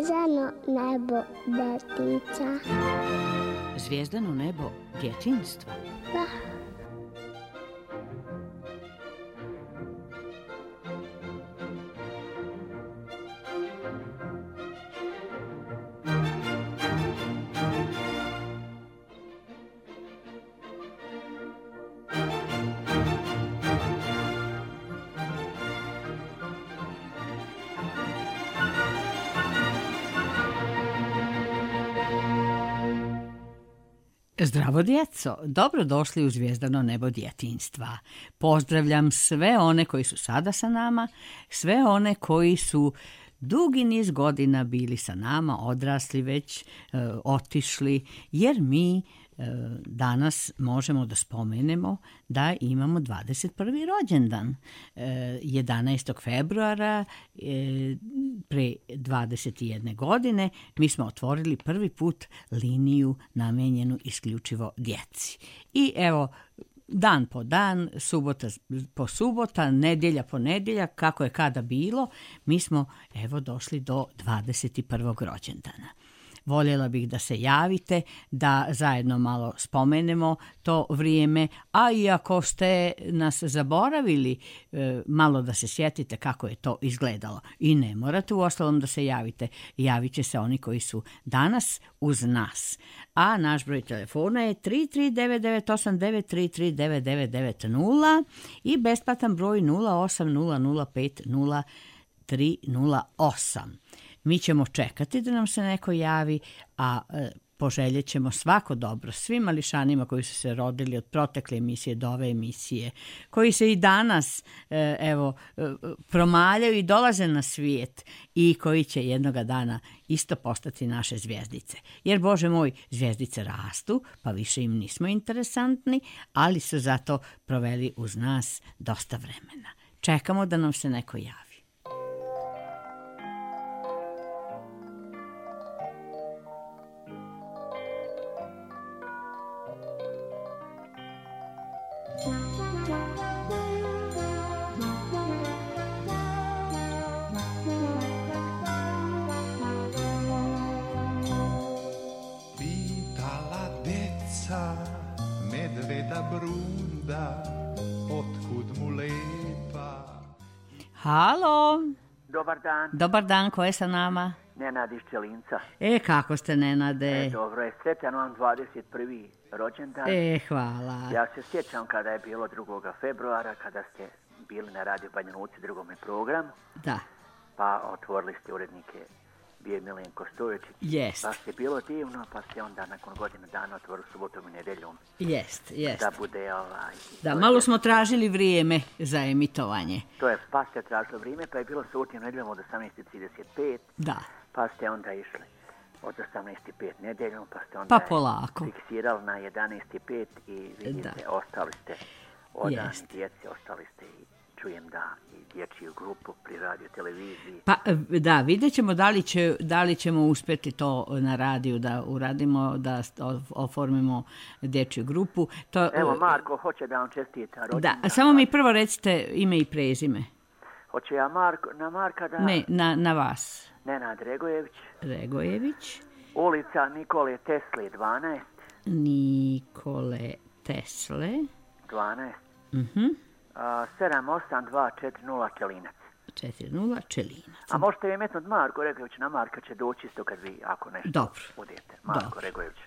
zvijezdano nebo detica. Zvijezdano nebo djetinjstva? Da. Zdravo djeco, dobrodošli u Zvijezdano nebo djetinjstva. Pozdravljam sve one koji su sada sa nama, sve one koji su dugi niz godina bili sa nama, odrasli već, otišli, jer mi danas možemo da spomenemo da imamo 21. rođendan. 11. februara pre 21 godine mi smo otvorili prvi put liniju namijenjenu isključivo djeci. I evo, dan po dan, subota po subota, nedjelja po nedjelja, kako je kada bilo, mi smo evo došli do 21. rođendana. Voljela bih da se javite, da zajedno malo spomenemo to vrijeme, a i ako ste nas zaboravili, malo da se sjetite kako je to izgledalo. I ne morate uostalom da se javite, javit će se oni koji su danas uz nas. A naš broj telefona je 33998 9339990 i besplatan broj 0800500308. Mi ćemo čekati da nam se neko javi, a poželjet ćemo svako dobro svim mališanima koji su se rodili od protekle emisije do ove emisije, koji se i danas promaljaju i dolaze na svijet i koji će jednoga dana isto postati naše zvijezdice. Jer, Bože moj, zvijezdice rastu, pa više im nismo interesantni, ali su zato proveli uz nas dosta vremena. Čekamo da nam se neko javi. Halo. Dobar dan. Dobar dan, ko je sa nama? Nenad iz Čelinca. Kako ste, Nenade? Dobro je, sretan vam 21. rođendan. Hvala. Ja se sjećam kada je bilo 2. februara, kada ste bili na Radio Banja Luci, drugome programu. Da. Pa otvorili ste urednike, bio je Milenko Stoječić. Jest. Pa ste bilo divno, pa ste onda nakon godina dana otvorili subotom i nedeljom. Jest. Da bude Da, malo smo tražili vrijeme za emitovanje. To je, pa ste tražili vrijeme, pa je bilo subotom nedeljom od 18:35. Da. Pa ste onda išli od 18:05 nedeljom, pa ste onda polako fiksirali na 11:05 i vidite, ostali ste odani djeci, ostali ste i čujem da i dječju grupu pri radio televiziji. Pa da, vidjet ćemo da li ćemo uspjeti to na radiju da uradimo, da oformimo dječju grupu. Evo, Marko hoće da vam čestita rođendan. Da, samo mi prvo recite ime i prezime. Hoće ja na Marka da... Ne, na vas. Nenad Regojević. Regojević. Ulica Nikole Tesle 12. Nikole Tesle 12. 78240 Čelinac. 40 Čelinac. A možete vi metnuti Marko Regojević, na Marka će doći isto kad vi, ako nešto budete. Marko Regojević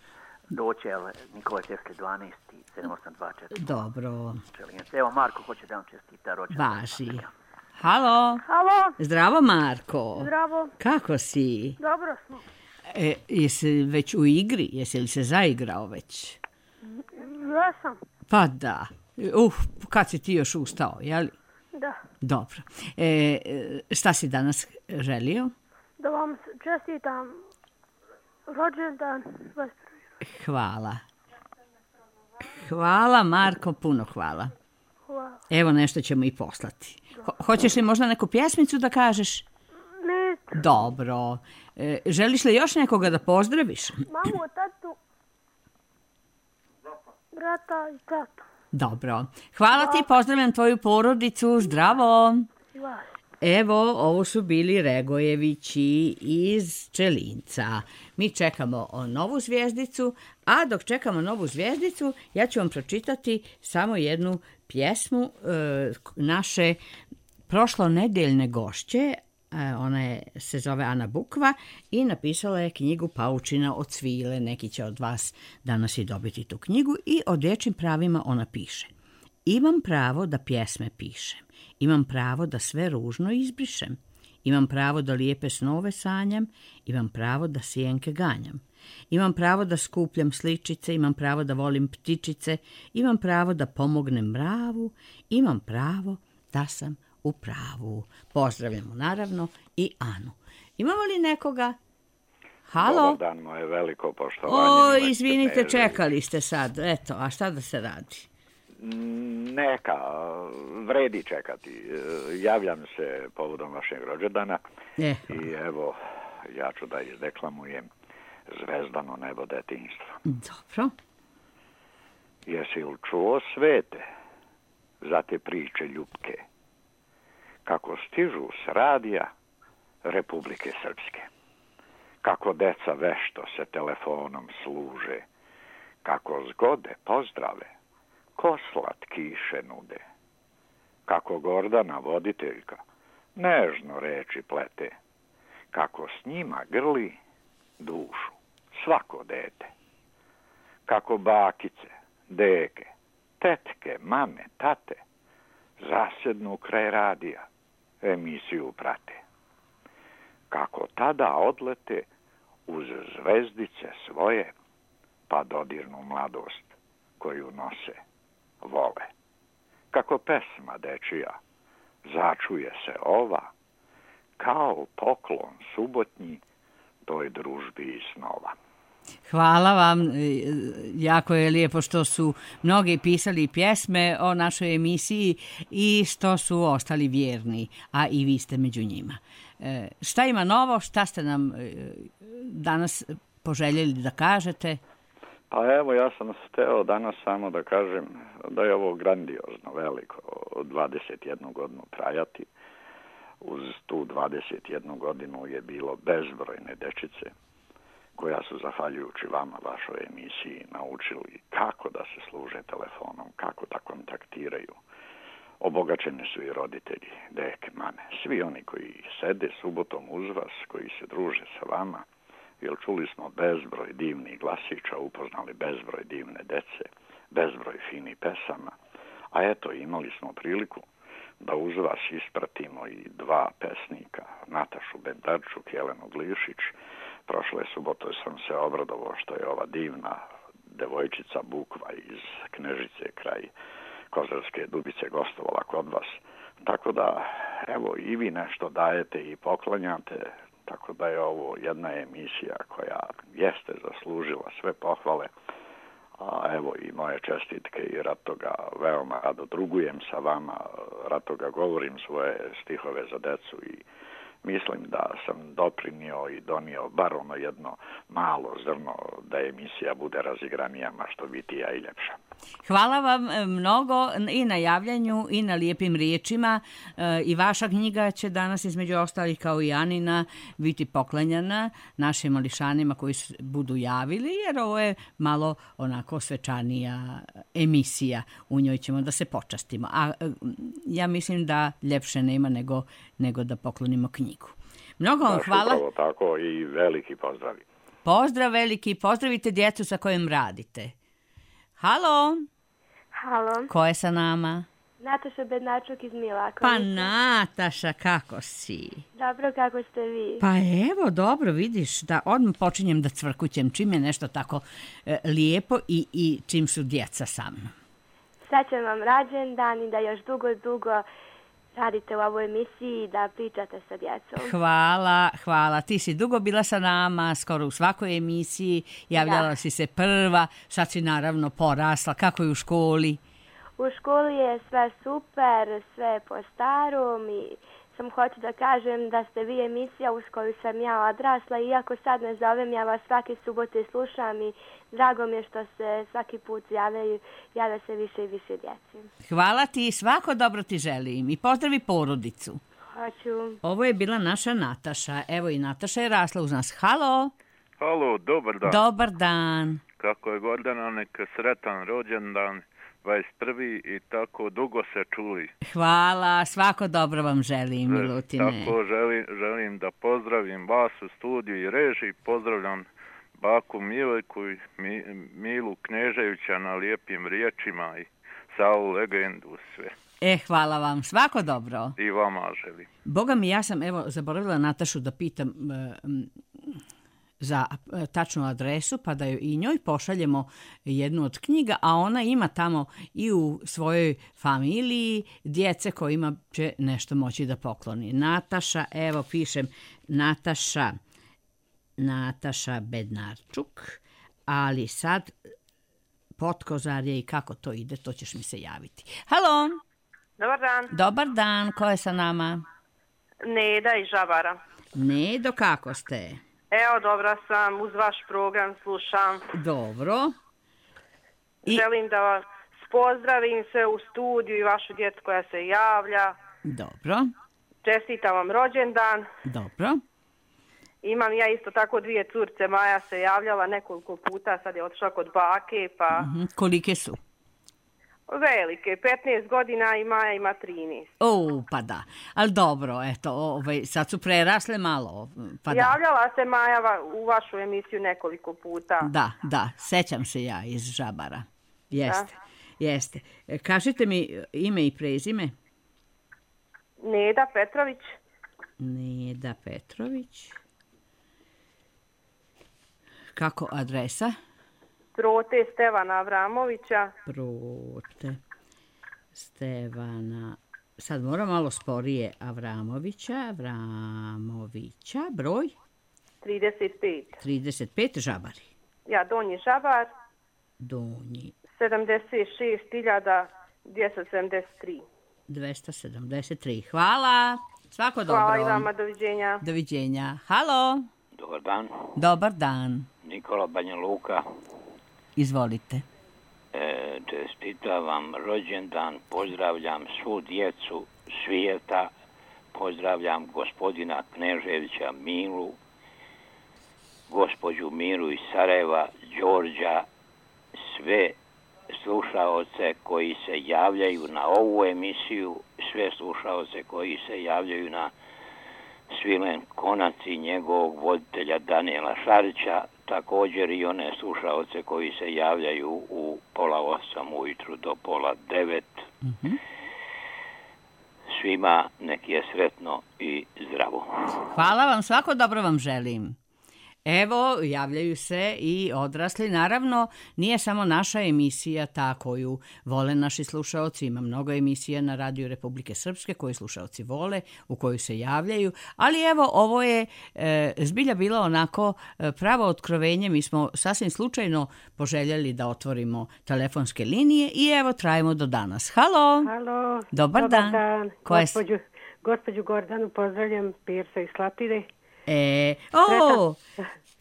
doći, Nikole Tesle 12 i 78240. Dobro. Čelinac. Evo, Marko hoće da vam čestita rođendan. Važi. Halo. Halo. Zdravo, Marko. Zdravo. Kako si? Dobro smo. Jesi već u igri? Jesi li se zaigrao već? Jesam. Pa da. Kad si ti još ustao, jeli? Da. Dobro. Šta si danas želio? Da vam čestitam rođendan. Hvala. Hvala, Marko, puno hvala. Hvala. Evo, nešto ćemo i poslati. Hoćeš li možda neku pjesmicu da kažeš? Ne. Dobro. Želiš li još nekoga da pozdraviš? Mamu, tatu, brata i tatu. Dobro. Hvala ti, pozdravljam tvoju porodicu. Zdravo. Evo, ovo su bili Regojevići iz Čelinca. Mi čekamo novu zvijezdicu, a dok čekamo novu zvijezdicu, ja ću vam pročitati samo jednu pjesmu naše prošlonedeljne gošće. Ona se zove Ana Bukva i napisala je knjigu Paučina od svile. Neki će od vas danas i dobiti tu knjigu i o dječjim pravima ona piše. Imam pravo da pjesme pišem. Imam pravo da sve ružno izbrišem. Imam pravo da lijepe snove sanjam. Imam pravo da sjenke ganjam. Imam pravo da skupljam sličice. Imam pravo da volim ptičice. Imam pravo da pomognem mravu. Imam pravo da sam u pravu. Pozdravljamo naravno i Anu. Imamo li nekoga? Halo? Dobar dan, moje veliko poštovanje. Izvinite, čekali ste sad. Eto, a šta da se radi? Neka, vredi čekati. Javljam se povodom vašeg rođendana i evo, ja ću da izdeklamujem Zvezdano nebo detinjstva. Dobro. Jesi li čuo, svete, za te priče ljubke, kako stižu s radija Republike Srpske, kako deca vešto se telefonom služe, kako zgode pozdrave ko slatkiše nude, kako Gordana voditeljka nežno reči plete, kako s njima grli dušu svako dete, kako bakice, deke, tetke, mame, tate zasednu kraj radija, emisiju prate, kako tada odlete uz zvezdice svoje, pa dodirnu mladost koju nose, vole. Kako pesma dečija začuje se ova, kao poklon subotnji toj družbi i snova. Hvala vam, jako je lijepo što su mnogi pisali pjesme o našoj emisiji i što su ostali vjerni, a i vi ste među njima. Šta ima novo, šta ste nam danas poželjeli da kažete? Pa evo, ja sam hteo danas samo da kažem da je ovo grandiozno, veliko, 21 godinu trajati. Uz tu 21 godinu je bilo bezbrojne dečice koja su, zahvaljujući vama, vašoj emisiji, naučili kako da se služe telefonom, kako da kontaktiraju. Obogaćeni su i roditelji, deke, mame, svi oni koji sede subotom uz vas, koji se druže sa vama, jer čuli smo bezbroj divnih glasića, upoznali bezbroj divne dece, bezbroj finih pesama, a eto, imali smo priliku da uz vas ispratimo i dva pesnika, Natašu Bendarčuk i Jelenu Glišić. Prošle subote sam se obradovao što je ova divna devojčica Bukva iz Knežice kraj Kozarske Dubice gostovala kod vas. Tako da, evo, i vi nešto dajete i poklanjate, tako da je ovo jedna emisija koja jeste zaslužila sve pohvale. A evo i moje čestitke i rado ga veoma rado drugujem sa vama, rado ga govorim svoje stihove za decu i mislim da sam doprinio i donio bar ono jedno malo zrno da emisija bude razigranija, ma što bitija i ljepša. Hvala vam mnogo i na javljanju i na lijepim riječima. I vaša knjiga će danas između ostalih kao i Anina biti poklanjana našim mališanima koji se budu javili, jer ovo je malo onako svečanija emisija. U njoj ćemo da se počastimo. A ja mislim da ljepše nema nego da poklonimo knjigu. Mnogo vam hvala. Upravo tako i veliki pozdravi. Pozdrav veliki, pozdravite djecu sa kojim radite. Halo? Halo. Ko je sa nama? Nataša Bednačuk iz Milakovića. Pa Nataša, kako si? Dobro, kako ste vi? Pa evo, dobro, vidiš da odmah počinjem da cvrkućem čim je nešto tako lijepo i čim su djeca sa mnom. Srećan vam rođendan i da još dugo radite u ovoj emisiji i da pričate sa djecom. Hvala. Ti si dugo bila sa nama, skoro u svakoj emisiji. Javljala si se prva, sad si naravno porasla. Kako je u školi? U školi je sve super, sve po starom i sam hoću da kažem da ste vi emisija uz koju sam ja odrasla. Iako sad ne zovem, ja vas svake subote slušam i drago mi je što se svaki put javlja se više i više djeci. Hvala ti, svako dobro ti želim i pozdravi porodicu. Hoću. Ovo je bila naša Nataša. Evo i Nataša je rasla uz nas. Halo. Halo, dobar dan. Dobar dan. Kako je Gordana, neka sretan rođendan, 21. i tako dugo se čuli. Hvala, svako dobro vam želim, Milutine. Tako želim da pozdravim vas u studiju i režiji, pozdravljam baku Milojku i Milu Kneževića na lijepim riječima i Savu legendu sve. Hvala vam, svako dobro. I vama želim. Boga mi, ja sam zaboravila Natašu da pitam za tačnu adresu, pa da i njoj pošaljemo jednu od knjiga, a ona ima tamo i u svojoj familiji djece kojima će nešto moći da pokloni. Nataša, evo pišem Nataša Bednarčuk, ali sad Potkozarje i kako to ide, to ćeš mi se javiti. Halo! Dobar dan. Dobar dan, ko je sa nama? Neda iz Žabara. Nedo, kako ste? Evo, dobra sam, uz vaš program slušam. Dobro. Želim da vas pozdravim sve u studiju i vašu djecu koja se javlja. Dobro. Čestitam vam rođendan. Dobro. Imam ja isto tako 2 curce, Maja se javljala nekoliko puta, sad je otišla kod bake, pa... Kolike su? Velike, 15 godina i Maja ima 13. Pa da, ali dobro, eto, sad su prerasle malo. Pa javljala se Maja u vašu emisiju nekoliko puta. Da, sećam se ja iz Žabara. Jeste. Kažite mi ime i prezime? Neda Petrović. Neda Petrović. Kako adresa? Prote Stevana Avramovića. Prote Stevana, sad moram malo sporije, Avramovića, broj? 35. 35, Žabari. Ja, Donji Žabar. Donji. 76.273. 273, hvala. Svako dobro. Hvala i vama, doviđenja. Doviđenja. Halo. Dobar dan. Dobar dan. Nikola Banja Luka. Izvolite. Čestitam vam rođendan, pozdravljam svu djecu svijeta, pozdravljam gospodina Kneževića Milu, gospođu Miru iz Sarajeva, Đorđa, sve slušaoce koji se javljaju na ovu emisiju, sve slušaoce koji se javljaju na Svilen Konac i njegovog voditelja Daniela Šarića, također i one slušaoce koji se javljaju u 7:30 ujutru do 8:30. Svima nek je sretno i zdravo. Hvala vam, svako dobro vam želim. Evo, javljaju se i odrasli. Naravno, nije samo naša emisija ta koju vole naši slušaoci. Ima mnogo emisija na Radiju Republike Srpske koje slušaoci vole, u koju se javljaju. Ali evo, ovo je zbilja bilo onako pravo otkrovenje. Mi smo sasvim slučajno poželjeli da otvorimo telefonske linije i evo, trajemo do danas. Halo! Halo! Dobar dan! Gospođu Gordanu pozdravljam, Pirsa iz Slatine.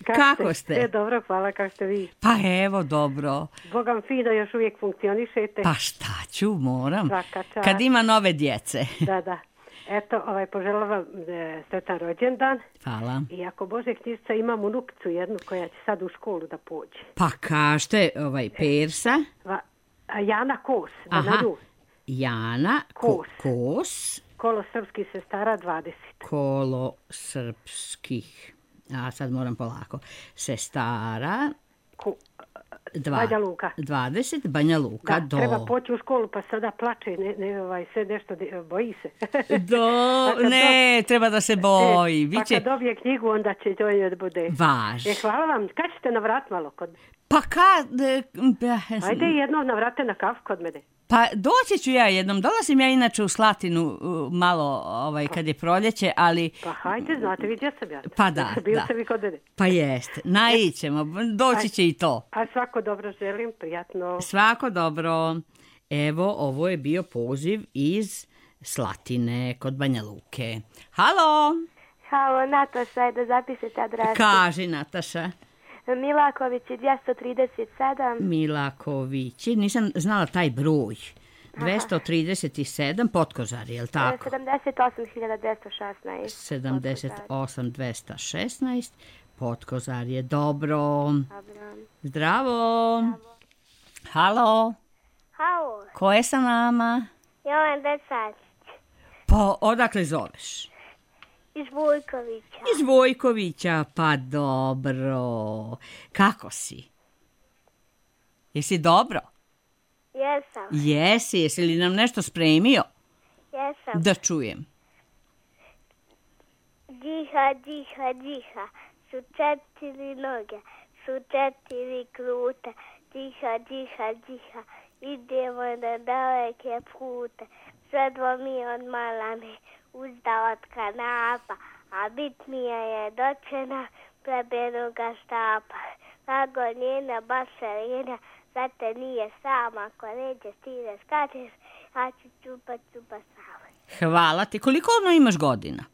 Kako ste? Dobro, hvala, kako ste vi? Pa evo, dobro. Bogam fino, još uvijek funkcionišete. Pa šta ću, moram. Kad ima nove djece. Da. Eto, poželjela vam sretan rođendan. Hvala. I ako Bože knjižica, imam unukicu jednu koja će sad u školu da pođe. Pa kažete, Persa? Jana Kos. Jana Kos. Kolo srpskih sestara 20. Kolo srpskih, sad moram polako, sestara Banja Luka. 20, Banja Luka. Da, treba poći u školu pa sada plače, sve nešto, boji se. Treba da se boji. Pa kad dobije knjigu, onda će to da bude. Hvala vam, kad ćete navrat malo kod mene? Pa Ajde jednom navrate na kafu kod mene. Pa doći ću ja jednom, dolazim ja inače u Slatinu malo kad je proljeće, ali... Pa hajde, znate vi gdje sam ja. Pa da. Bili ste vi kod mene. Pa jeste, naićemo, doći će i to. A svako dobro želim, prijatno. Svako dobro. Evo, ovo je bio poziv iz Slatine kod Banja Luke. Halo! Halo, Nataša, ajde zapišite adresu. Kaži, Nataša. Milakovići 237. Milakovići, nisam znala taj broj. 237 Potkozari, je li tako? 78.216. 78.216 Potkozari, dobro. Zdravo. Halo. Halo. Ko je sa nama? Jovan Desanić. Pa, odakle zoveš? Iz Vojkovića. Iz Vojkovića, pa dobro. Kako si? Jesi dobro? Jesam. Jesi li nam nešto spremio? Jesam. Da čujem. Diha, diha, diha, su 4 noge, su 4 krute. Diha, diha, diha, idemo na daleke pute. Svedlo mi od malane, uzda od kanapa, a bitnija je dočena plebenoga štapa. Lago njena bašarina, zate nije sama, ko neđe stine skačeš, ja ću čupa sama. Hvala ti. Koliko ono imaš godina?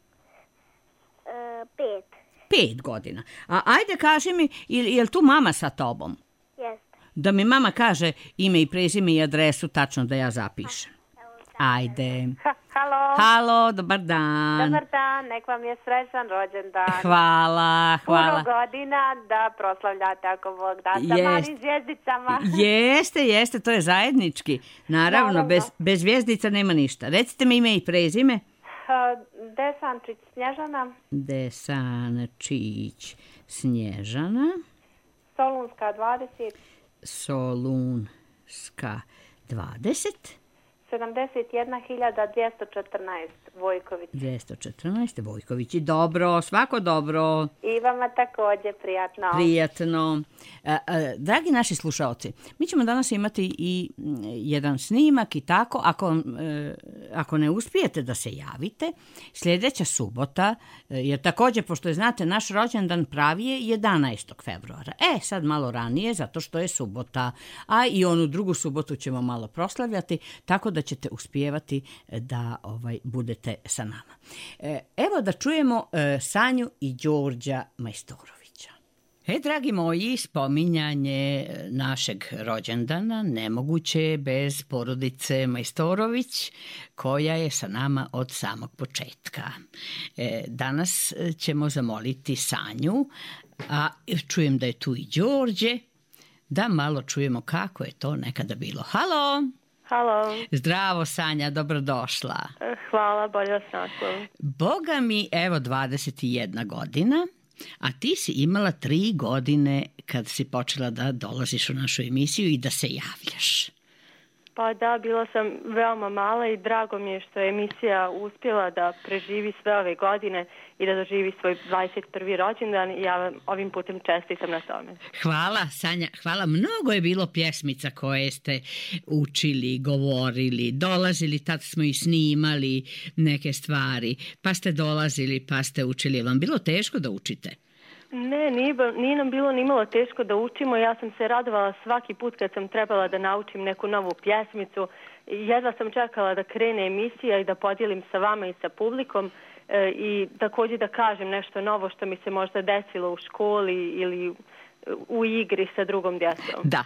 5. 5 godina. A ajde kaži mi, je li tu mama sa tobom? Jeste. Da mi mama kaže ime i prezime i adresu tačno da ja zapišem. Ajde. Halo. Halo, dobar dan. Dobar dan, nek vam je srećan rođendan. Hvala. Puno godina da proslavljate ako Bog da sa malim zvijezdicama. Jeste, to je zajednički. Naravno, bez zvijezdica nema ništa. Recite mi ime i prezime. Desančić Snježana. Desančić Snježana. Solunska 20. Solunska 20. 71.214 Vojković. 214 Vojković. Dobro, svako dobro. I vama također Prijatno. Dragi naši slušaoci, mi ćemo danas imati i jedan snimak i tako. Ako ne uspijete da se javite, sljedeća subota, jer također, pošto je, znate, naš rođendan pravi je 11. februara. Sad malo ranije, zato što je subota, a i onu drugu subotu ćemo malo proslavljati, tako da ćete uspijevati da budete sa nama. Evo da čujemo Sanju i Đorđa Majstorovića. Dragi moji, spominjanje našeg rođendana nemoguće je bez porodice Majstorović, koja je sa nama od samog početka. Danas ćemo zamoliti Sanju, a čujem da je tu i Đorđe, da malo čujemo kako je to nekada bilo. Halo! Halo. Zdravo, Sanja, dobrodošla. Hvala, bolje vas našla. Boga mi, evo, 21 godina, a ti si imala 3 godine kad si počela da dolaziš u našu emisiju i da se javljaš. Pa da, bila sam veoma mala i drago mi je što je emisija uspjela da preživi sve ove godine i da doživi svoj 21. rođendan i ja vam ovim putem čestitam na tome. Hvala, Sanja, hvala. Mnogo je bilo pjesmica koje ste učili, govorili, dolazili, tad smo i snimali neke stvari, pa ste dolazili, pa ste učili. Je vam bilo teško da učite? Ne, nije nam bilo nimalo teško da učimo. Ja sam se radovala svaki put kad sam trebala da naučim neku novu pjesmicu. Jedva sam čekala da krene emisija i da podijelim sa vama i sa publikom i također da kažem nešto novo što mi se možda desilo u školi ili u igri sa drugom djecom. Da.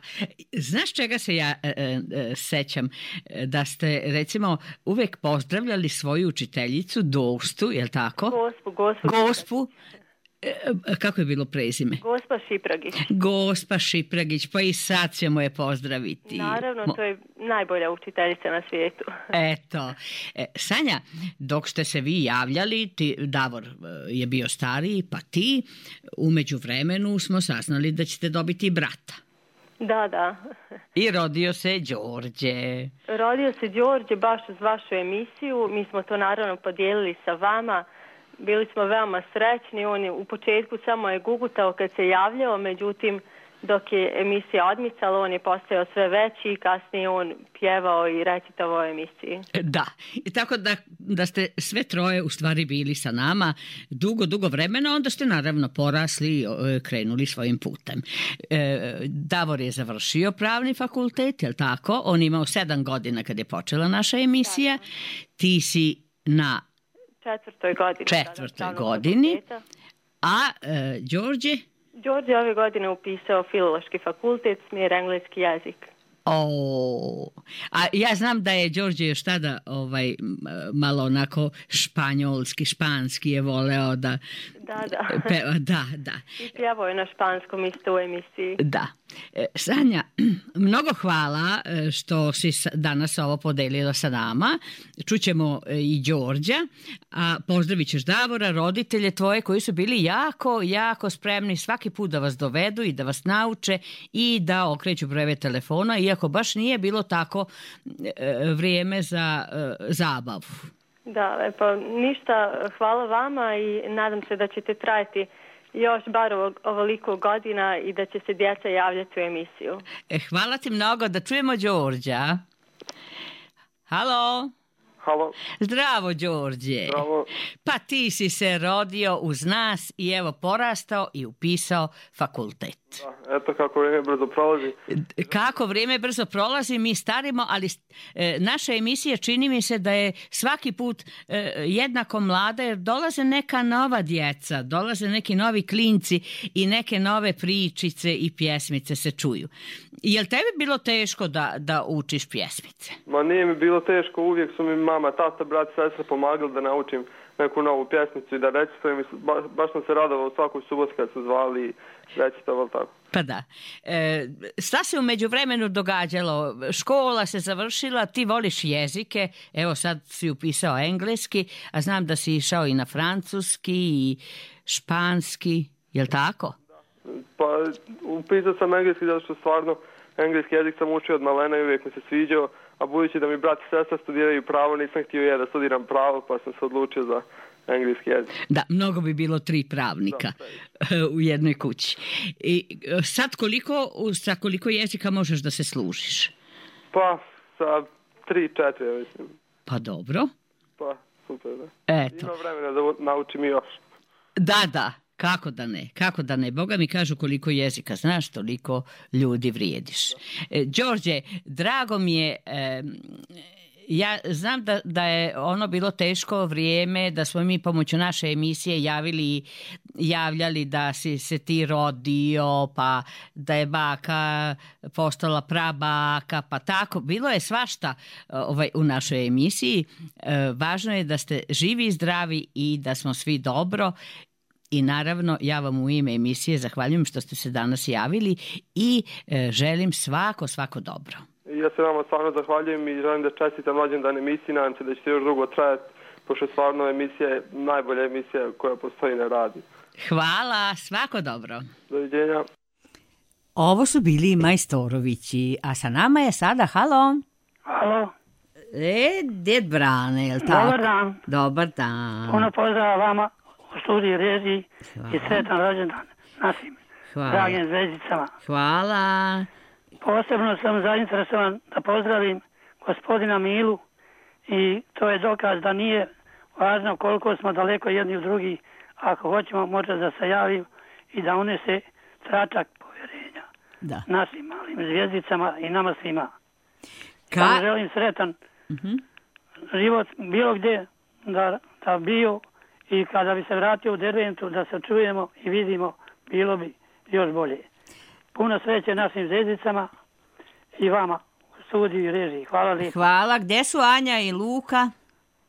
Znaš čega se ja sećam? Da ste, recimo, uvek pozdravljali svoju učiteljicu Dostu, je li tako? Gospu. Kako je bilo prezime? Gospa Šipragić, pa i sad ćemo je pozdraviti. Naravno, to je najbolja učiteljica na svijetu. Eto. Sanja, dok ste se vi javljali, Davor je bio stariji, pa ti, u međuvremenu smo saznali da ćete dobiti brata. Da. I rodio se Đorđe. Rodio se Đorđe baš uz vašu emisiju. Mi smo to naravno podijelili sa vama. Bili smo veoma srećni, on je u početku samo je gugutao kad se javljao, međutim dok je emisija odmicala on je postajao sve veći i kasnije on pjevao i recitavao emisiji. Da, i tako da ste sve troje u stvari bili sa nama dugo vremena, onda ste naravno porasli i krenuli svojim putem. Davor je završio pravni fakultet, je li tako? On imao 7 godina kad je počela naša emisija. Da. Ti si na 4. godini. A Đorđe? Đorđe ove godine upisao filološki fakultet, smjer engleski jezik. A ja znam da je Đorđe još tada malo onako španski je voleo da peva. Da. I pjevao je na španskom isto u emisiji. Da. Sanja, mnogo hvala što si danas ovo podelila sa nama. Čućemo i Đorđa, a pozdravit ćeš Davora, roditelje tvoje koji su bili jako spremni svaki put da vas dovedu i da vas nauče i da okreću brojeve telefona, iako baš nije bilo tako vrijeme za zabavu. Da, lepo. Ništa, hvala vama i nadam se da ćete trajati još bar ovoliko godina i da će se djeca javljati u emisiju. Hvala ti mnogo, da čujemo Đorđa. Halo? Halo. Zdravo, Đorđe. Zdravo. Pa ti si se rodio uz nas i evo porastao i upisao fakultet. Da, eto kako vrijeme brzo prolazi. Kako vrijeme brzo prolazi, mi starimo, ali naša emisija čini mi se da je svaki put jednako mlada, jer dolaze neka nova djeca, dolaze neki novi klinci i neke nove pričice i pjesmice se čuju. Je li tebi bilo teško da učiš pjesmice? Ma nije mi bilo teško, uvijek su mi mama, tata, brat, sestra pomagali da naučim neku novu pjesmicu i da recitujem. Baš sam se radovao svakoj subot kad su zvali i recitovali tako. Pa da. Šta se u međuvremenu događalo? Škola se završila, ti voliš jezike, evo sad si upisao engleski, a znam da si išao i na francuski i španski, je li tako? Pa upisao sam engleski zato što stvarno engleski jezik sam učio od malena i uvijek mi se sviđao, a budući da mi brat i sestra studiraju pravo, nisam htio da studiram pravo, pa sam se odlučio za engleski jezik. Da, mnogo bi bilo 3 pravnika u jednoj kući. I sad sa koliko jezika možeš da se služiš? Pa sa 3-4, mislim. Pa dobro. Pa super, da. Eto. Ima vremena da naučim i još. Da. Kako da ne? Boga mi kažu koliko jezika znaš, toliko ljudi vrijediš. Đorđe, drago mi je, ja znam da je ono bilo teško vrijeme, da smo mi pomoću naše emisije javljali da si se ti rodio, pa da je baka postala prabaka, pa tako. Bilo je svašta u našoj emisiji. Važno je da ste živi i zdravi i da smo svi dobro. I naravno, ja vam u ime emisije zahvaljujem što ste se danas javili i želim svako dobro. Ja se vama stvarno zahvaljujem i želim da čestitam rođendan emisiji, nadam se da će još dugo trajati, pošto stvarno emisija je najbolja emisija koja postoji na radiju. Hvala, svako dobro. Doviđenja. Ovo su bili Majstorovići, a sa nama je sada, halo? Halo. Djed Brane, je li tako? Dobar dan. Dobar dan. Puno pozdrava vama u studiju režiji i sretan rođendan našim dragim zvezdicama. Hvala. Posebno sam zainteresovan da pozdravim gospodina Milu i to je dokaz da nije važno koliko smo daleko jedni od drugih. Ako hoćemo, može da se javi i da unese tračak povjerenja našim malim zvijezdicama i nama svima. Vam želim sretan život bilo gdje da bio i kada bi se vratio u Derventu da se čujemo i vidimo, bilo bi još bolje. Puno sreće našim zvezdicama i vama u studiju i režiji. Hvala lijepo. Hvala. Gdje su Anja i Luka?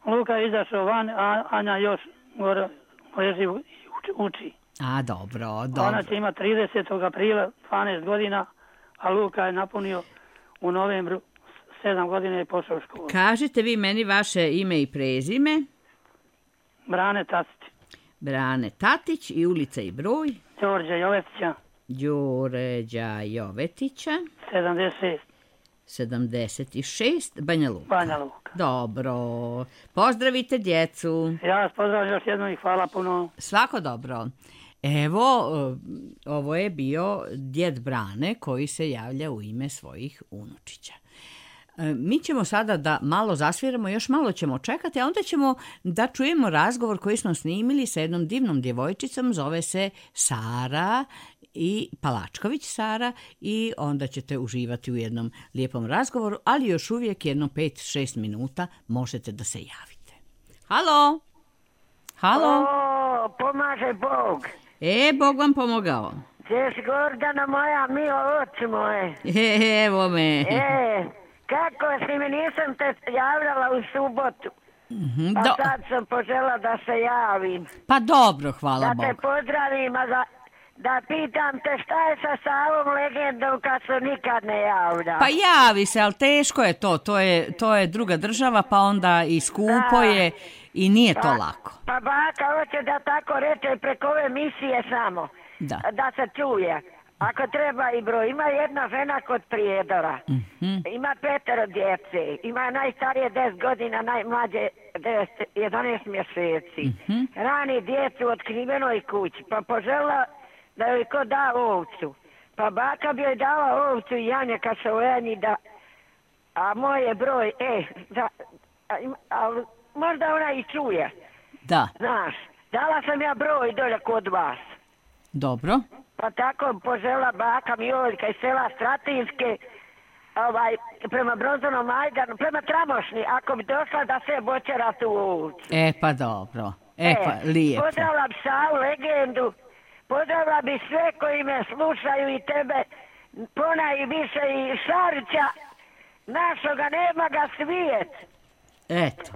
Luka je izašao van, a Anja još gore leži i uči. A, dobro. Ona će imati 30. aprila 12 godina, a Luka je napunio u novembru 7 godina i pošao u školu. Kažite vi meni vaše ime i prezime? Brane Tatić. Brane Tatić i ulica i broj? Đorđa Jovetića. Đorđa Jovetića. 76, Banja Luka. Banja Luka. Dobro. Pozdravite djecu. Ja vas pozdravljam još jednom i hvala puno. Svako dobro. Evo, ovo je bio djed Brane koji se javlja u ime svojih unučića. Mi ćemo sada da malo zasviramo, još malo ćemo čekati, a onda ćemo da čujemo razgovor koji smo snimili sa jednom divnom djevojčicom, zove se Sara i Palačković Sara i onda ćete uživati u jednom lijepom razgovoru, ali još uvijek jedno 5-6 minuta možete da se javite. Halo? Halo? Pomaže Bog. Bog vam pomogao. Češ Gordana moja, milo oči moje. Evo me. Kako si mi, nisam te javljala u subotu. Pa sad sam požela da se javim. Pa dobro, hvala Bogu. Da te pozdravim, a da pitam te šta je sa Savom legendom kad se nikad ne javlja. Pa javi se, ali teško je to. To je druga država, pa onda i skupo je i nije to lako. Pa baka hoće da tako reče preko ove misije samo. Da se čuje. Ako treba i broj. Ima jedna žena kod Prijedora. Ima 5 djece. Ima najstarije 10 godina, najmlađe 11 mjeseci. Rani djecu u otkrivenoj kući. Pa požela da joj ko da ovcu. Pa baka bi joj dala ovcu i janje kad se ujedni da... A moj je broj, možda ona i čuje. Da. Znaš, dala sam ja broj dolje kod vas. Dobro. Pa tako požela baka Mijoljka iz sela Stratinske, prema Bronzanom Majdanu, prema Tramošni, ako bi došla da se bočera tu ovcu. Pa dobro. Pa lijepo. Pozdravila bi Savu legendu, pozdravila bi sve koji me slušaju i tebe, ponajviše i Šarića, našoga nema ga svijet. Eto.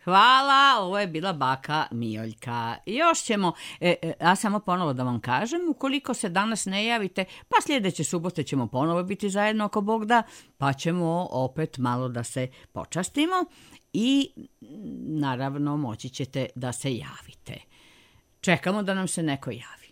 Hvala, ovo je bila baka Mijoljka. Još ćemo, a samo ponovo da vam kažem, ukoliko se danas ne javite, pa sljedeće subote ćemo ponovo biti zajedno ako Bog da, pa ćemo opet malo da se počastimo i naravno moći ćete da se javite. Čekamo da nam se neko javi.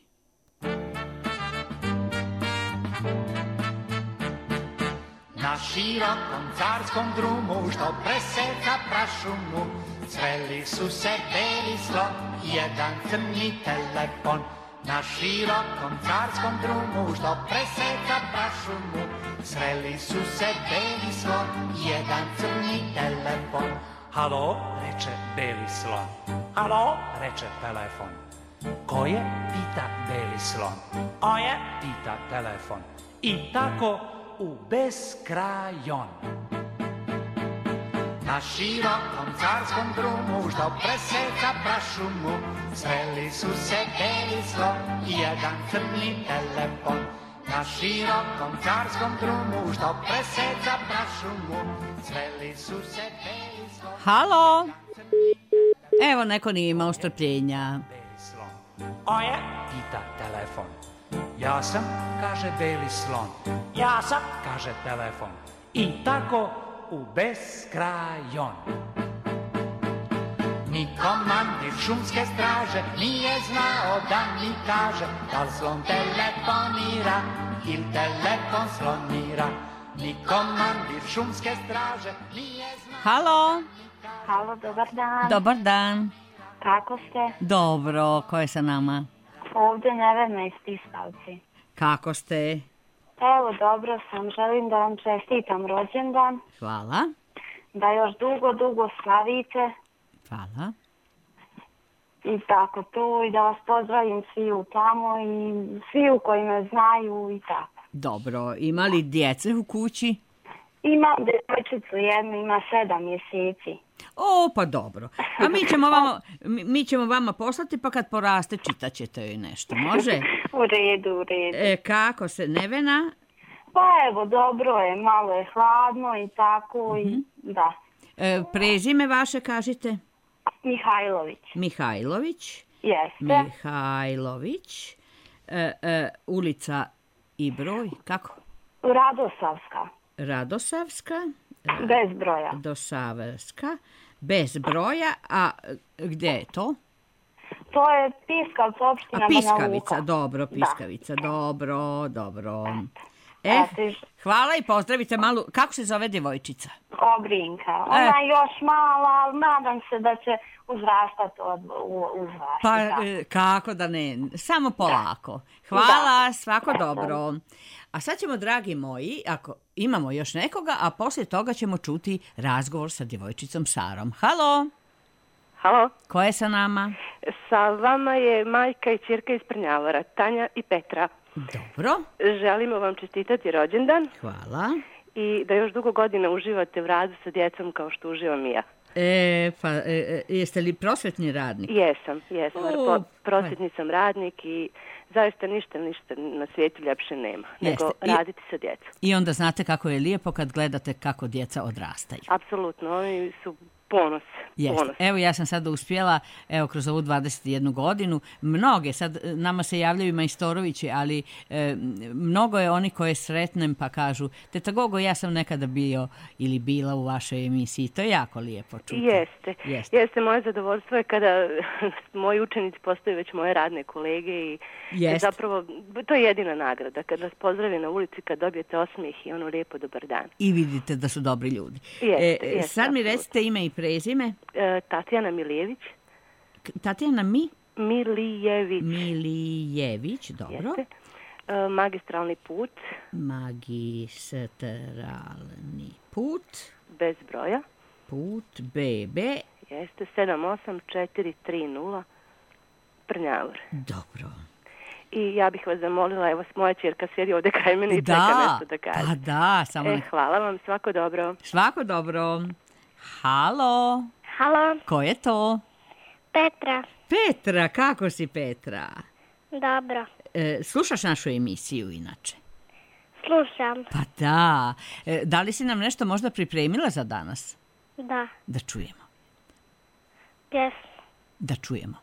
Na širokom carskom drumu što preseka prašumu, sreli su se beli slon i jedan crni telefon. Na širokom carskom drumu što preseka prašumu, sreli su se beli slon i jedan crni telefon. Halo, reče beli slon. Halo, reče telefon. Ko je, pita beli slon. O je, pita telefon. I tako u beskrajon. Na širokom carskom drumu što preseka prašumu, sreli su se beli slon i jedan crni telefon. Na širokom carskom drumu što preseka prašumu, sreli su se beli slon. Halo? Evo, neko nije imao strpljenja. O je, pita telefon. Ja sam, kaže beli slon. Ja sam, kaže telefon. I tako u beskrajon. Ni komandir šumske straže nije znao da mi kaže da li slon telefonira ili telefon slonira. Ni komandir šumske straže nije znao... Halo? Halo, dobar dan. Dobar dan. Kako ste? Dobro, ko je sa nama? Ovdje Nevena iz Tistavci. Kako ste? Evo, dobro sam. Želim da vam čestitam rođendan. Hvala. Da još dugo slavite. Hvala. I tako to, i da vas pozdravim sviju tamo i sviju koji me znaju i tako. Dobro, ima li djece u kući? Imam djevojčicu jednu, ima 7 mjeseci. O, pa dobro. A mi ćemo vama poslati, pa kad poraste čitat ćete joj nešto, može? U redu. Kako se, Nevena? Pa evo, dobro je, malo je hladno i tako i da. Prezime vaše kažite? Mihajlović. Mihajlović? Jeste. Mihajlović. Ulica i broj, kako? Radosavska. Bez broja. Dosavska. Bez broja, a gdje je to? To je Piskavca, opština Banja Luka. Piskavica, dobro, Piskavica, dobro. Hvala i pozdravite malu, kako se zove djevojčica? Obrinka. Ona je još mala, ali nadam se da će uzrastati Pa kako da ne, samo polako. Hvala, svako dobro. A sad ćemo, dragi moji, ako imamo još nekoga, a poslije toga ćemo čuti razgovor sa djevojčicom Sarom. Halo? Halo? Ko je sa nama? Sa vama je majka i ćerka iz Prnjavora, Tanja i Petra. Dobro. Želimo vam čestitati rođendan. Hvala. I da još dugo godina uživate u radu sa djecom kao što uživam i ja. Jeste li prosvetni radnik? Jesam. Prosvetni sam radnik i zaista ništa na svijetu ljepše nema nego raditi sa djecom. I onda znate kako je lijepo kad gledate kako djeca odrastaju. Apsolutno, oni su ponos. Evo ja sam sada uspjela, kroz ovu 21 godinu, mnoge, sad nama se javljaju majstorovići, ali mnogo je oni koje sretnem pa kažu, teta Gogo, ja sam nekada bio ili bila u vašoj emisiji, to je jako lijepo čuti. Jeste, moje zadovoljstvo je kada moji učenici postaju već moje radne kolege i zapravo to je jedina nagrada, kad vas pozdravi na ulici, kad dobijete osmijeh i ono lijepo dobar dan. I vidite da su dobri ljudi. Sad mi recite ime i prezime. Tatjana Milijević. Tatjana Milijević, dobro. Magistralni put. Bez broja. Put BB. Jeste 78430 Prnjavor. Dobro. I ja bih vas zamolila, evo moja ćerka sjedi ovdje kraj mene i čeka nešto da kaže. Pa da, samo... Hvala vam, svako dobro. Svako dobro. Halo. Ko je to? Petra. Petra, kako si Petra? Dobro. Slušaš našu emisiju inače? Slušam. Pa da. Da li si nam nešto možda pripremila za danas? Da. Da čujemo. Pjesmu. Da čujemo.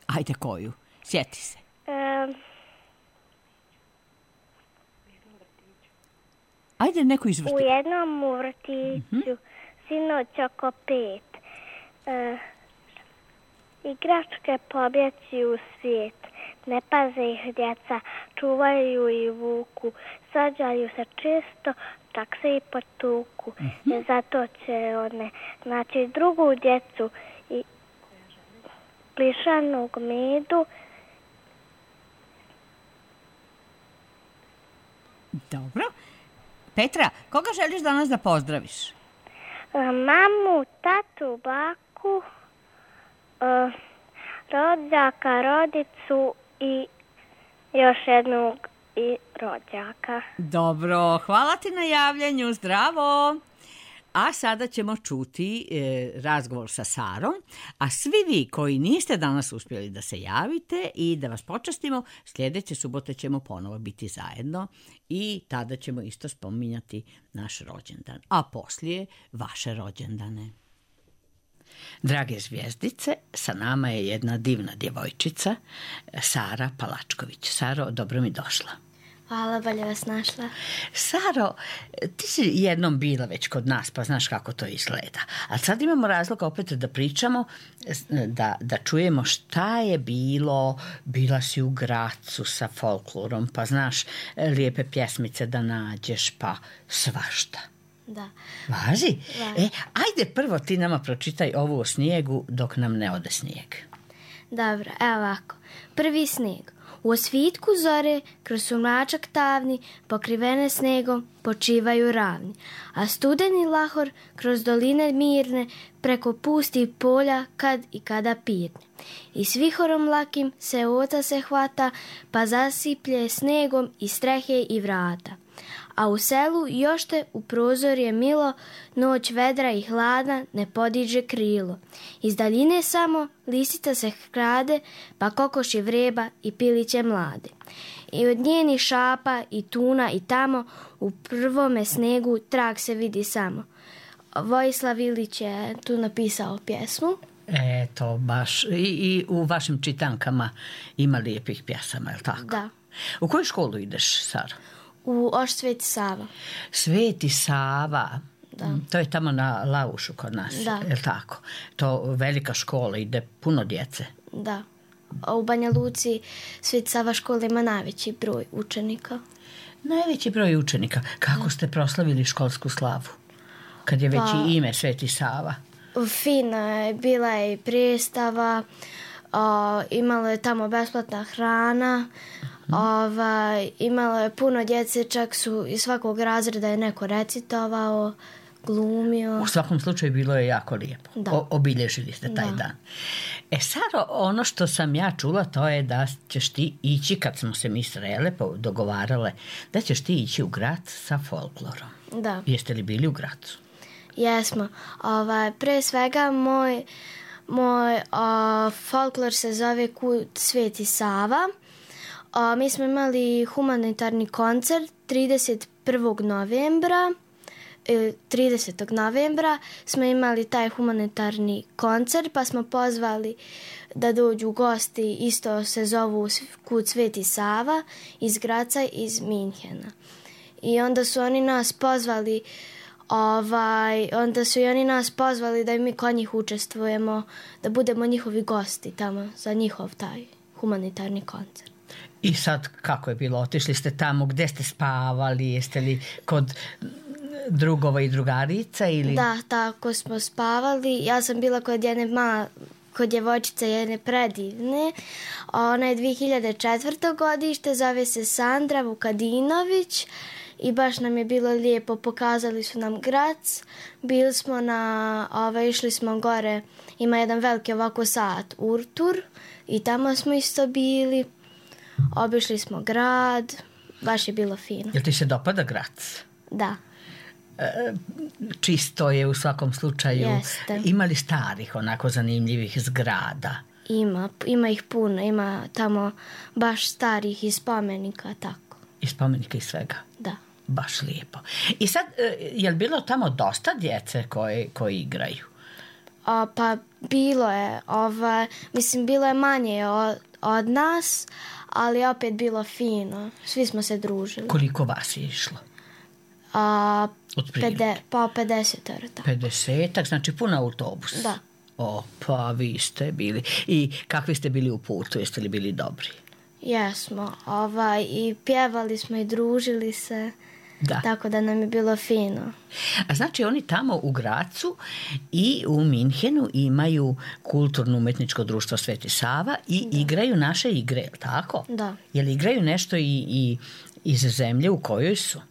Ajde koju? Sjeti se. Ajde neku izvrti. U jednom vrtiću sinoć oko 5. Igračke pobjeći u svijet. Ne paze ih djeca, čuvaju i vuku. Svađaju se često, čak se i potuku. Zato će one naći drugu djecu i plišanog medu. Dobro. Petra, koga želiš danas da pozdraviš? Mamu, tatu, baku, rođaka, rodicu i još jednog rođaka. Dobro, hvala ti na javljanju, zdravo! A sada ćemo čuti razgovor sa Sarom, a svi vi koji niste danas uspjeli da se javite i da vas počastimo, sljedeće subote ćemo ponovo biti zajedno i tada ćemo isto spominjati naš rođendan, a poslije vaše rođendane. Drage zvijezdice, sa nama je jedna divna djevojčica, Sara Palačković. Saro, dobro mi došla. Hvala, bolje vas našla. Saro, ti si jednom bila već kod nas, pa znaš kako to izgleda. A sad imamo razlog opet da pričamo, da čujemo šta je bilo. Bila si u Gracu sa folklorom, pa znaš lijepe pjesmice da nađeš, pa svašta. Da. Važi? Ajde prvo ti nama pročitaj ovo o snijegu dok nam ne ode snijeg. Dobro, evo ovako. Prvi snijeg. U osvitku zore, kroz sumračak tavni, pokrivene snegom, počivaju ravni. A studeni lahor, kroz doline mirne, preko pustih polja, kad i kada pirne. I s vihorom lakim se oca se hvata, pa zasiplje snegom i strehe i vrata. A u selu još te u prozor je milo, noć vedra i hladna ne podiže krilo. Iz daljine samo lisica se krade, pa kokoši vreba i piliće mlade. I od njenih šapa i tuna i tamo, u prvome snegu trag se vidi samo. Vojislav Ilić je tu napisao pjesmu. Eto, baš. I u vašim čitankama ima lijepih pjesama, je li tako? Da. U koju školu ideš, Sara? U Oš Sveti Sava. Sveti Sava. Da. To je tamo na Laušu kod nas, je li tako? To velika škola, ide puno djece. Da. A u Banja Luci Sveti Sava škola ima najveći broj učenika. Najveći broj učenika. Kako ste proslavili školsku slavu? Kad je već i ime Sveti Sava. Fina je, bila je i predstava, imalo je tamo besplatna hrana, imalo je puno djece, čak su iz svakog razreda je neko recitovao, glumio. U svakom slučaju bilo je jako lijepo. Obilježili ste taj dan. Saro, ono što sam ja čula, to je da ćeš ti ići, kad smo se mi srele, dogovarale, da ćeš ti ići u grad sa folklorom. Da. Jeste li bili u Gracu? Jesmo. Pre svega moj folklor se zove Kut Sveti Sava. Mi smo imali humanitarni koncert 30. novembra smo imali taj humanitarni koncert, pa smo pozvali da dođu gosti, isto se zovu Kut Sveti Sava, iz Graca, iz Minhena. I onda su oni nas pozvali da i mi kod njih učestvujemo, da budemo njihovi gosti tamo za njihov taj humanitarni koncert. I sad kako je bilo? Otišli ste tamo, gde ste spavali? Jeste li kod drugova i drugarica? Ili? Da, tako smo spavali. Ja sam bila kod djevojčice jedne predivne. Ona je 2004. godište, zove se Sandra Vukadinović i baš nam je bilo lijepo. Pokazali su nam Grac. Bili smo išli smo gore, ima jedan veliki ovako sat, Urtur, i tamo smo isto bili. Obišli smo grad, baš je bilo fino. Jel ti se dopada Grac? Da. Čisto je u svakom slučaju. Jeste. Ima li starih onako zanimljivih zgrada? Ima ih puno, ima tamo baš starih i spomenika, tako. I spomenika i svega? Da. Baš lijepo. I sad, je li bilo tamo dosta djece koji igraju? Pa bilo je, bilo je manje od nas, ali opet bilo fino. Svi smo se družili. Koliko vas je išlo? 50. 50, znači puno autobus. Da. Pa vi ste bili. I kakvi ste bili u putu? Jeste li bili dobri? Jesmo. I pjevali smo i družili se. Da. Tako da nam je bilo fino. A znači oni tamo u Gracu i u Minhenu imaju kulturno-umetničko društvo Sveti Sava i igraju naše igre, je li tako? Da. Je li igraju nešto i iz zemlje u kojoj su?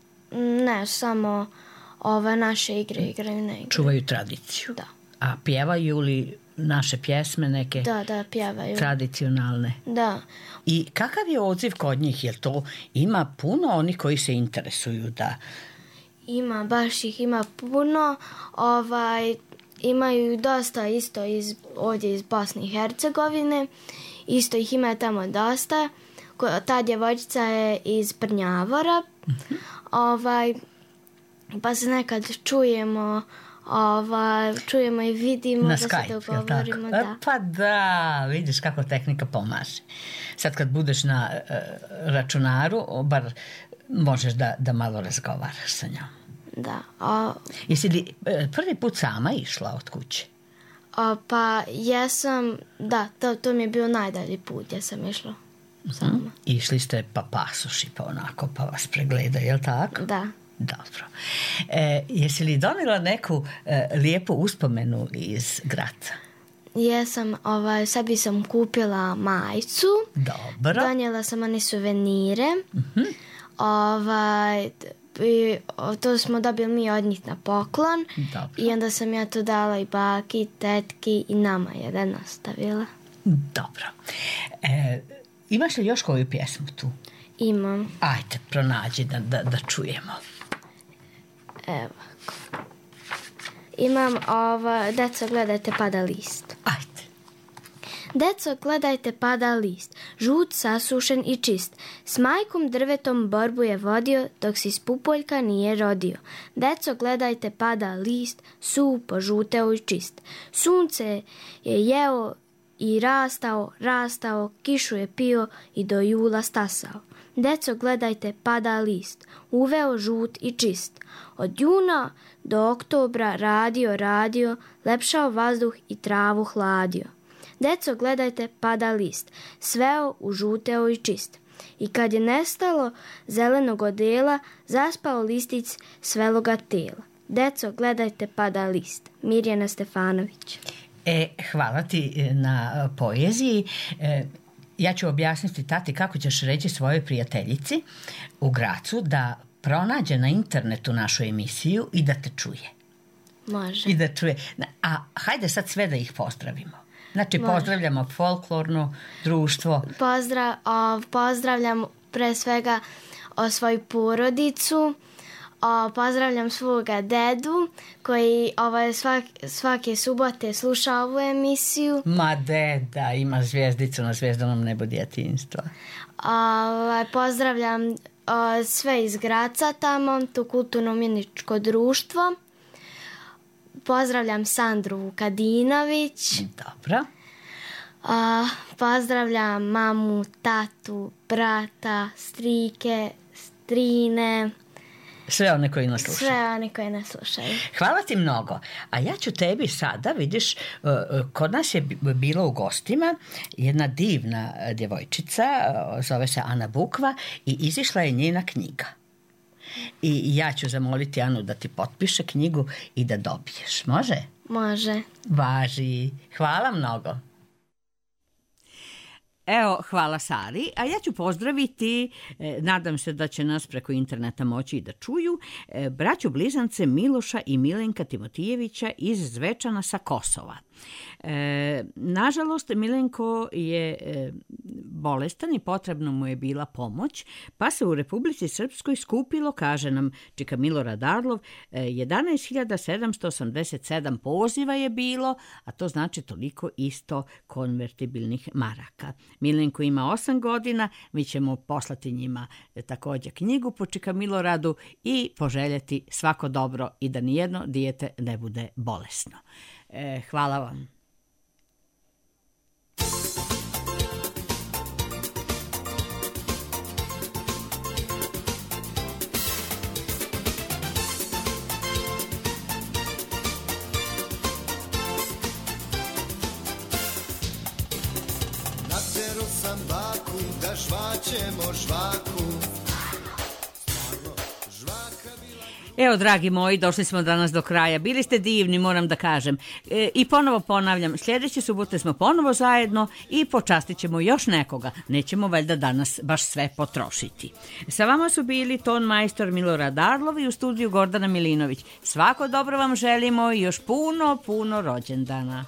Ne, samo naše igre igraju, ne igraju. Čuvaju tradiciju? Da. A pjevaju li naše pjesme neke? Da, pjevaju. Tradicionalne? Da. I kakav je odziv kod njih? Jer to ima puno onih koji se interesuju da... Baš ih ima puno. Imaju dosta isto ovdje iz Bosne i Hercegovine. Isto ih ima tamo dosta. Ta djevojčica je iz Prnjavora. Pa se nekad čujemo i vidimo na da Skype, se dogovorimo. Da. Pa da, vidiš kako tehnika pomaže. Sad kad budeš na računaru, bar možeš da malo razgovaraš sa njom. Da. Jesi li prvi put sama išla od kuće? Pa jesam, da, to mi je bio najdalji put, ja sam išla sama. Išli ste pa pasoši, pa onako, pa vas pregleda, je li tako? Da. Dobro. Jesi li donijela neku lijepu uspomenu iz Graca? Jesam, sebi sam kupila majicu. Dobro. Donijela sam one suvenire. To smo dobili mi od njih na poklon. Dobro. I onda sam ja to dala i baki, tetki i nama jedan ostavila. Dobro. Imaš li još koju pjesmu tu? Imam. Ajde, pronađi da čujemo. Evo. Imam Deco, gledajte, pada list. Ajde. Deco, gledajte, pada list, žut, sasušen i čist. S majkom drvetom borbu je vodio, dok si s pupoljka nije rodio. Deco, gledajte, pada list, suv požuteo i čist. Sunce je jeo i rastao, kišu je pio i do jula stasao. Deco, gledajte, pada list, uveo žut i čist. Od juna do oktobra radio, lepšao vazduh i travu hladio. Deco, gledajte, pada list, sveo u žuteo i čist. I kad je nestalo zelenog odela, zaspao listić sveloga tela. Deco, gledajte, pada list. Mirjana Stefanović. Hvala ti na poeziji. Ja ću objasniti tati kako ćeš reći svojoj prijateljici u Gracu da pronađe na internetu našu emisiju i da te čuje. Može. I da čuje. A hajde sad sve da ih pozdravimo. Znači, može. Pozdravljamo folklorno društvo. Pozdravljam pre svega svoju porodicu, Pozdravljam svoga dedu koji svake subote sluša ovu emisiju. Ma deda, ima zvijezdicu na zvjezdanom nebu djetinjstva. Pozdravljam sve iz Graca tamo, to kulturno-umjetničko društvo. Pozdravljam Sandru Vukadinović. Dobro. Pozdravljam mamu, tatu, brata, strike, strine. Sve one koji nas slušaju. Sve one koji nas slušaju. Hvala ti mnogo. A ja ću tebi sada, vidiš, kod nas je bilo u gostima jedna divna djevojčica, zove se Ana Bukva i izišla je njena knjiga. I ja ću zamoliti Anu da ti potpiše knjigu i da dobiješ. Može? Može. Važi. Hvala mnogo. Evo, hvala Sari, a ja ću pozdraviti, nadam se da će nas preko interneta moći i da čuju, braću blizance Miloša i Milenka Timotijevića iz Zvečana sa Kosova. Nažalost, Milenko je bolestan i potrebno mu je bila pomoć, pa se u Republici Srpskoj skupilo, kaže nam Čika Milorad Arlov, 11.787 poziva je bilo, a to znači toliko isto konvertibilnih maraka. Milenko ima 8 godina, mi ćemo poslati njima također knjigu po Čika Miloradu i poželjeti svako dobro i da nijedno dijete ne bude bolesno. Hvala vam. Natero sam baku da žvaćemo žvaku. Evo, dragi moji, došli smo danas do kraja. Bili ste divni, moram da kažem. I ponovo ponavljam, sljedeće subote smo ponovo zajedno i počastit ćemo još nekoga. Nećemo valjda danas baš sve potrošiti. Sa vama su bili ton majstor Milorad Arlov i u studiju Gordana Milinović. Svako dobro vam želimo i još puno rođendana.